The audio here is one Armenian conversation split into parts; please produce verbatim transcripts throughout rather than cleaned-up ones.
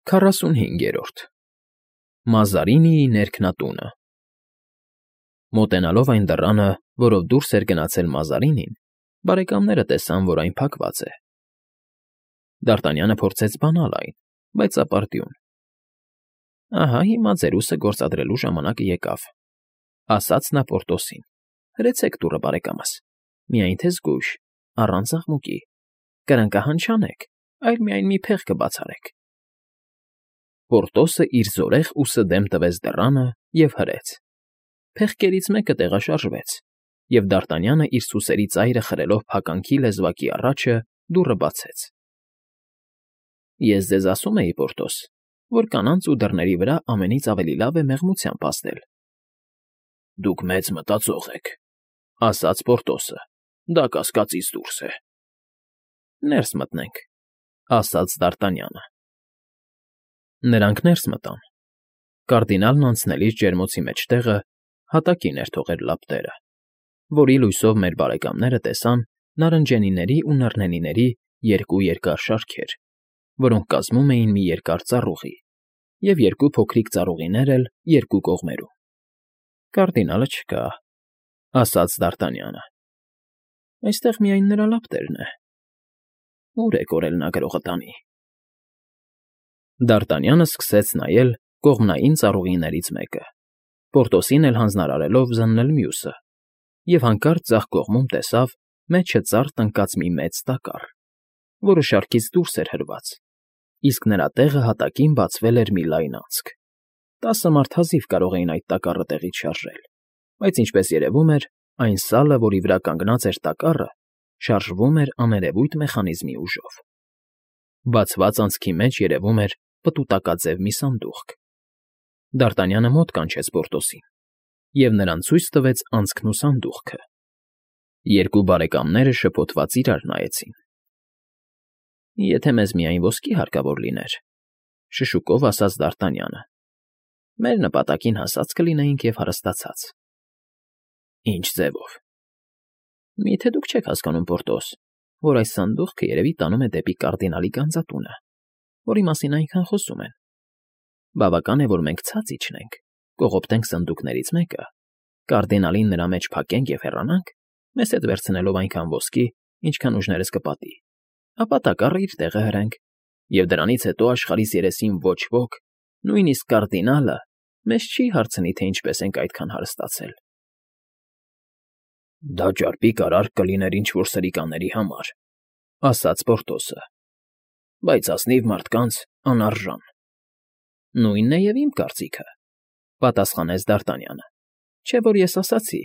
Քառասունհինգերորդ Մազարինիի ներքնատունը Մոտենալով այն դռանը, որով դուրս էր գնացել Մազարինին, բարեկամները տեսան, որ այն փակված է։ Դ'Արտանյանը փորձեց բանալ այն, բայց ապարդյուն։ Ահա հիմա ձերուսը գործադրելու ժամանակը եկավ, ասաց նա Պորտոսին. հրեցեք դուռը, բարեկամս, միայն թե զգույշ, առանց աղմուկի, կրնկահան չանեք, այլ միայն մի փեղ կբացարեք։ Պորտոսը իր զորեղ ուսը դեմ տվեց դռանը և հրեց։ Փեղկերից մեկը տեղաշարժվեց, և Դ'Արտանյանը իր սուսերի ծայրը խրելով փականքի լեզվակի առաջը դուռը բացեց։ Ես ձեզ ասում էի, Պորտոս, որ կանանց ու դռների վրա ամենից ավելի լավ է մեղմությամբ ազդել։ Դուք մեծ մտածող եք, ասաց Պորտոսը, դա կասկածից դուրս է։ Ներս մտնենք, ասաց Դ'Արտանյանը։ Նրանք ներս մտան։ Կարդինալն անցնելիս ջերմոցի մեջտեղը հատակին էր թողել լապտերը, որի լույսով մեր բարեկամները տեսան նարնջենիների ու նռնենիների երկու երկար շարքեր, որոնք կազմում էին մի երկար ծառուղի, և երկու փոքրիկ ծառուղիներ էլ երկու կողմերում։ Կարդինալը չկա, ասաց Դ'Արտանյանը։ Այստեղ միայն նրա լապտերն է։ Ո՞ւր է կորել նա գրողը տանի։ Դ'Արտանյանը սկսեց նայել կողմնային ծառուղիներից մեկը, Պորտոսին էլ հանձնարարելով զննել մյուսը, և հանկարծ ձախ կողմում տեսավ մեջը ծառ տնկած մի մեծ տակառ, որը շարքից դուրս էր հրված, իսկ նրա տեղը հատակին բացվել էր մի լայն անցք։ Տասը մարդ հազիվ կարող էին այդ տակառը տեղից շարժել, բայց, ինչպես երևում էր, այն սալը, որի վրա կանգնած էր տակառը, շարժվում էր աներևույթ մեխանիզմի ուժով։ Բացված անցքի մեջ երևում էր պտուտակաձև մի սանդուղք։ Դ'Արտանյանը մոտ կանչեց Պորտոսին, և նրան ցույց տվեց անցքն ու սանդուղքը։ Երկու բարեկամները շփոթված իրար նայեցին։ Եթե մեզ միայն ոսկի հարկավոր լիներ, շշուկով ասաց Դ'Արտանյանը, մեր նպատակին հասած կլինեինք և հարստացած։ Ինչ ձևով։ Միթե դուք չեք հասկանում, Պորտոս, որ այս սանդուղքը երևի տանում է դեպի կարդինալի գանձատունը, որի մասին այնքան խոսում են։ Բավական է, որ մենք ցած իջնենք, կողոպտենք սնդուկներից մեկը, կարդինալին նրա մեջ փակենք և հեռանանք, մեզ հետ վերցնելով այնքան ոսկի, ինչքան ուժներս կպատի, ապա տակառը իր տեղը հրենք, և դրանից հետո աշխարհիս երեսին ոչ ոք, նույնիսկ կարդինալը, մեզ չի հարցնի, թե ինչպես ենք այդքան հարստացել։ Դա ճարպիկ արարք կլիներ ինչ֊որ սրիկաների համար, ասաց Պորտոսը, բայց ազնիվ մարդկանց անարժան։ Նույնն է և իմ կարծիքը, պատասխանեց Դ'Արտանյանը, չէ՞ որ ես ասացի,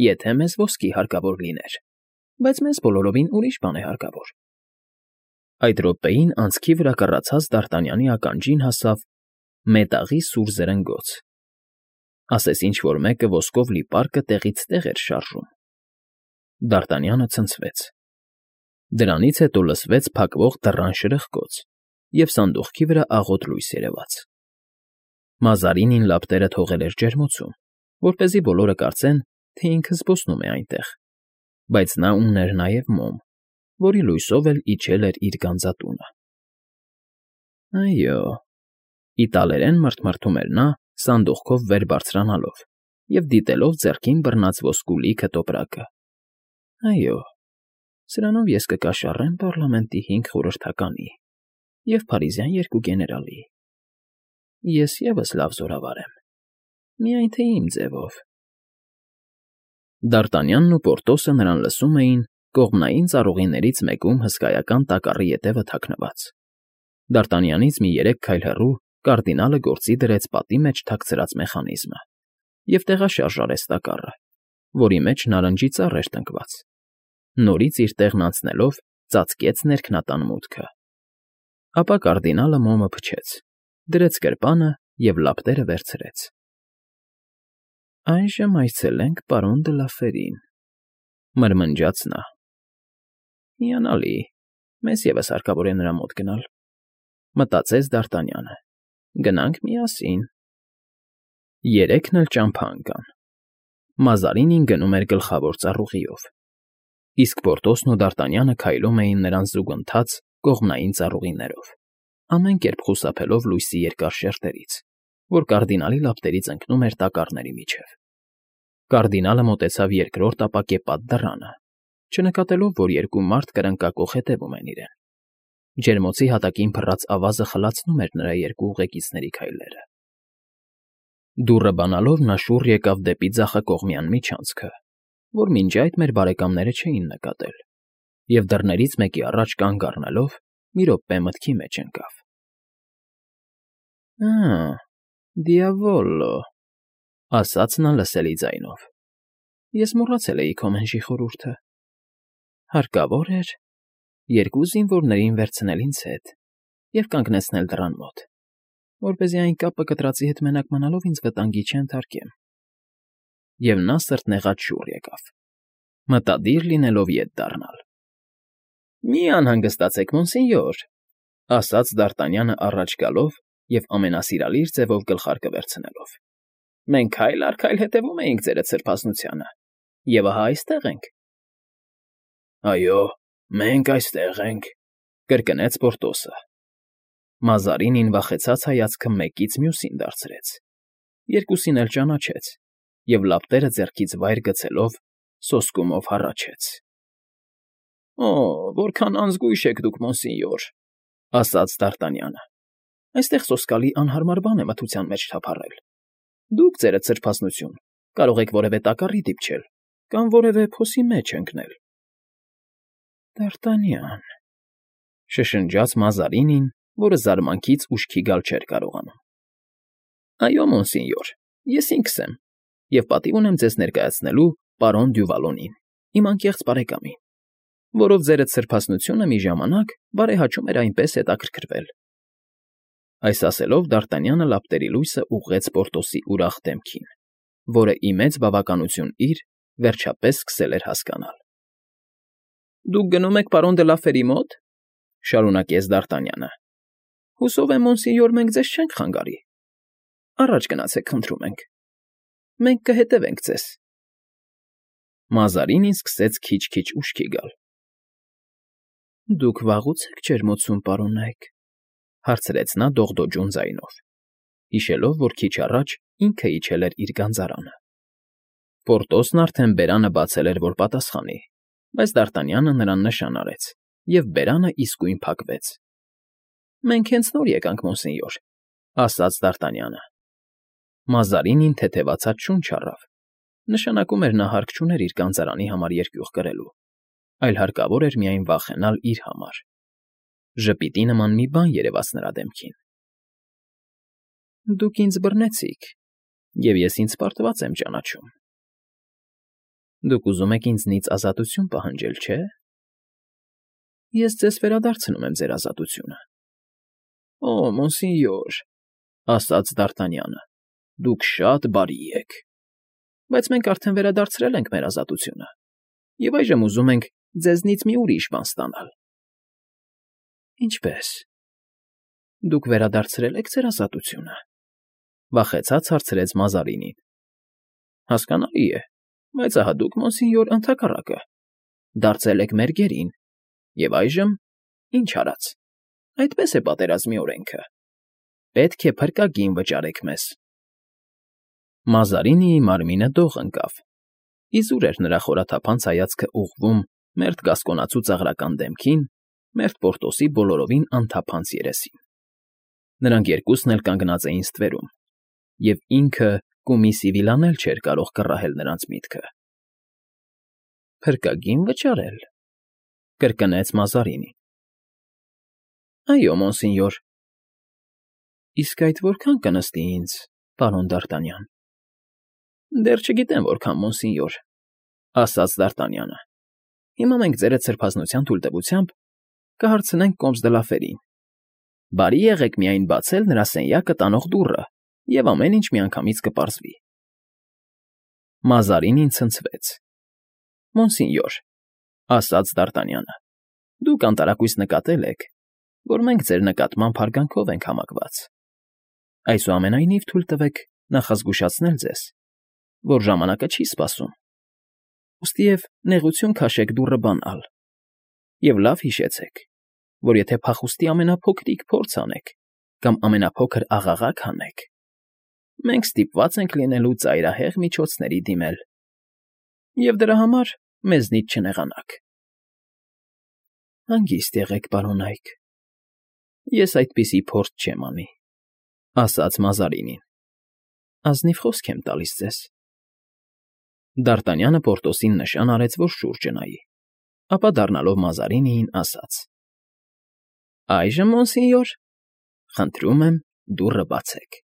եթե մեզ ոսկի հարկավոր լիներ, բայց մեզ բոլորովին ուրիշ բան է հարկավոր։ Այդ րոպեին անցքի վրա կռացած Դ'Արտանյանի ականջին հասավ մետաղի սուր զրնգոց, ասես ինչ֊որ մեկը ոսկով լի պարկը տեղից տեղ էր շարժում։ Դ'Արտանյանը ցնցվեց։ Դրանից հետո լսվեց փակվող դռան շրխկոց, և սանդուղքի վրա աղոտ լույս երևաց։ Մազարինին լապտերը թողել էր ջերմոցում, որպեսզի բոլորը կարծեն, թե ինքը զբոսնում է այնտեղ, բայց նա ուներ նաև մոմ, որի լույսով էլ իջել էր իր գանձատունը։ Այո, իտալերեն մռթմռթում էր նա սանդուղքով վեր բարձրանալով և դիտելով ձեռքին բռնած ոսկու լիքը տոպրակը։ Այո, սրանով ես կկաշառեմ պառլամենտի հինգ խորհրդականի և փարիզյան երկու գեներալի։ Ես ևս լավ զորավար եմ, միայն թե իմ ձևով։ Դ'Արտանյանն ու Պորտոսը նրան լսում էին կողմնային ծառուղիներից մեկում հսկայական տակառի ետևը թաքնված։ Դ'Արտանյանից մի երեք քայլ հեռու կարդինալը գործի դրեց պատի մեջ թաքցրած մեխանիզմը և տեղաշարժ արեց տակառը, որի մեջ նարնջի ծառ էր տնկված։ Նորից իր տեղն անցնելով ծածկեց ներքնատան մուտքը։ Ապա կարդինալը մոմը փչեց, դրեց գրպանը և լապտերը վերցրեց։ Այժմ այցելենք պարոն դը Լաֆերին, մրմնջաց նա։ Հիանալի, մեզ ևս հարկավոր է նրա մոտ գնալ, մտածեց Դ'Արտանյանը։ Գնանք միասին։ Երեքն էլ ճամփա ընկան։ Մազարինին գնում էր գլխավոր ծառուղիով, իսկ Պորտոսն ու Դ'Արտանյանը քայլում էին նրանց զուգընթաց կողմնային ծառուղիներով։ ամեն կերպ խուսափելով լույսի երկար շերտերից, որ կարդինալի լապտերից ընկնում էր տակառների միջև։ Կարդինալը մոտեցավ երկրորդ ապակեպատ դռանը, չնկատելով, որ երկու մարդ կրնկակոխ հետևում են իրեն։ Ջերմոցի հատակին փռած ավազը խլացնում էր նրա երկու ուղեկիցների քայլերը։ Դուռը բանալով նա շուռ եկավ դեպի ձախակողմյան միջանցքը, որ մինչ այդ մեր բարեկամները չէին նկատել, և դռներից մեկի առաջ կանգ առնելով մի րոպե մտքի մեջ ընկավ։ «Ա՜, դիավոլո», ասաց նա լսելի ձայնով։ «Ես մոռացել էի քո մենժի խորհուրդը։ Հարկավոր էր երկու զինվորներին վերցնել ինձ հետ և կանգնեցնել դռան մոտ, որպեսզի այն կապը կտրածի հետ մենակ մնալով ինձ վտանգի չենթարկեմ»։ Եվ նա սրտնեղած շուռ եկավ, մտադիր լինելով ետ դառնալ։ «Մի անհանգստացեք, մոնսենյոր», ասաց Դ'Արտանյանը առաջ գալով և ամենասիրալիր ձևով գլխարկը վերցնելով։ «Մենք քայլ առ քայլ հետևում էինք ձերդ սրբազնությանը, և ահա այստեղ ենք»։ «Այո, մենք այստեղ ենք», կրկնեց Պորտոսը։ Մազարինին վախեցած հայացքը մեկից մյուսին դարձրեց, երկուսին էլ ճանաչեց և լապտերը ձեռքից վայր գցելով սոսկումով հառաչեց։ «Օ, որքան անզգույշ եք դուք, մոնսենյոր», ասաց Դ'Արտանյանը։ «Այստեղ սոսկալի անհարմար բան է մթության մեջ թափառել։ Դուք, ձերդ սրբազնություն, կարող եք որևէ տակառի դիպչել կամ որևէ փոսի մեջ ընկնել»։ «Դ'Արտանյան», շշնջաց Մազարինին, որը զարմանքից ուշքի գալ չէր կարողանում։ «Այո, մոնսենյոր, ես ինքս եմ, և պատիվ ունեմ ձեզ ներկայացնելու պարոն Դյուվալոնին, իմ անկեղծ բարեկամին, որով ձերդ սրբազնությունը մի ժամանակ բարեհաճում էր այնպես հետաքրքրվել»։ Այս ասելով Դ'Արտանյանը լապտերի լույսը ուղղեց Պորտոսի ուրախ դեմքին, որը ի մեծ բավականություն իր, վերջապես սկսել էր հասկանալ։ «Դուք գնում եք պարոն դը Լաֆերի մոտ,֊ շարունակեց Դ'Արտանյանը։ «Հուսով եմ, մոնսենյոր, մենք ձեզ չենք խանգարի։ Առաջ գնացեք, խնդրում ենք, մենք կհետևենք ձեզ»։ Մազարինին սկսեց քիչ֊քիչ ուշքի գալ։ «Դուք վաղուց եք ջերմոցում, պարոննայք,֊ հարցրեց նա դողդոջուն ձայնով, հիշելով, որ քիչ առաջ ինքը իջել էր իր գանձարանը։ Պորտոսն արդեն բերանը բացել էր, որ պատասխանի, բայց Դ'Արտանյանը նրան նշան արեց, և բերանը իսկույն փակվեց։ «Մենք հենց նոր եկանք, մոնսենյոր,֊ ասաց Դ'Արտանյանը։ Մազարինին թեթևացած շունչ առավ, նշանակում էր նա հարկ չուներ իր գանձարանի համար երկյուղ կրելու, այլ հարկավոր էր միայն վախենալ իր համար։ Ժպիտի նման մի բան երևաց նրա դեմքին։ «Դուք ինձ բռնեցիք, և ես ինձ պարտված եմ ճանաչում։ Դուք ուզում եք ինձնից ազատություն պահանջել, չէ՞։ Ես ձեզ վերադարձնում եմ ձեր ազատությունը»։ «Օ, մոնսենյոր,֊ ասաց Դ'Արտանյանը,֊ դուք շատ բարի եք, բայց մենք արդեն վերադարձրել ենք մեր ազատությունը և այժմ ուզում ենք ձեզնից մի ուրիշ բան ստանալ»։ «Ինչպե՞ս։ Դուք վերադարձրել եք ձեր ազատությունը,֊ վախեցած հարցրեց Մազարինին։ «Հասկանալի է, բայց ահա դուք, մոնսենյոր, ընդհակառակը, դարձել եք մեր գերին, և այժմ, ինչ արած, այդպես է պատերազմի օրենքը. պետք է փրկագին վճարեք մեզ»։ Մազարինիի մարմինը դող ընկավ, իզուր էր նրա խորաթափանց հայացքը ուղղվում մերթ գասկոնացու ծաղրական դեմքին, մերթ Պորտոսի բոլորովին անթափանց երեսին։ Նրանք երկուսն էլ կանգնած էին ստվերում, և ինքը կումիսի վիլան էլ չէր կարող կռահել նրանց միտքը։ «Փրկագի՞ն վճարել,֊ կրկնեց Մազարինին։ «Այո, մոնսենյոր»։ «Իսկ այդ որքան կնստի ինձ, պարոն Դ'Արտանյան»։ «Դեռ չգիտեմ որքան, մոնսենյոր», ասաց Դ'Արտանյանը։ «Հիմա մենք ձերդ սրբազնության թույլտվությամբ կհարցնենք կոմս դը Լաֆերին։ Բարի եղեք միայն բացել նրա սենյակը տանող դուռը, և ամեն ինչ միանգամից կպարզվի»։ Մազարինին ցնցվեց։ «Մոնսենյոր», ասաց Դ'Արտանյանը, «դուք անտարակույս նկատել եք, որ մենք ձեր նկատմամբ հարգանքով ենք համակված։ Այսուամենայնիվ թույլ տվեք նախազգուշացնել ձեզ, որ ժամանակը չի սպասում, ուստիև նեղություն քաշեք դուռը բանալ, և լավ հիշեցեք, որ եթե փախուստի ամենափոքրիկ փորձ անեք կամ ամենափոքր աղաղակ հանեք, մենք ստիպված ենք լինելու ծայրահեղ միջոցների դիմել, և դրա համար մեզնից չնեղանաք։ ֊ Հանգիստ եղեք, պարոնայք, ես այդպիսի փորձ չեմ անի,֊ ասաց Մազարինին։֊ Ազնիվ խոսք եմ տալիս ձեզ։ Դ'Արտանյանը Պորտոսին նշան արեց, որ շուրջը նայի, ապա դառնալով Մազարինիին, ասաց. «Այժմ, մոնսինյոր, խնդրում եմ, դուռը բացեք»։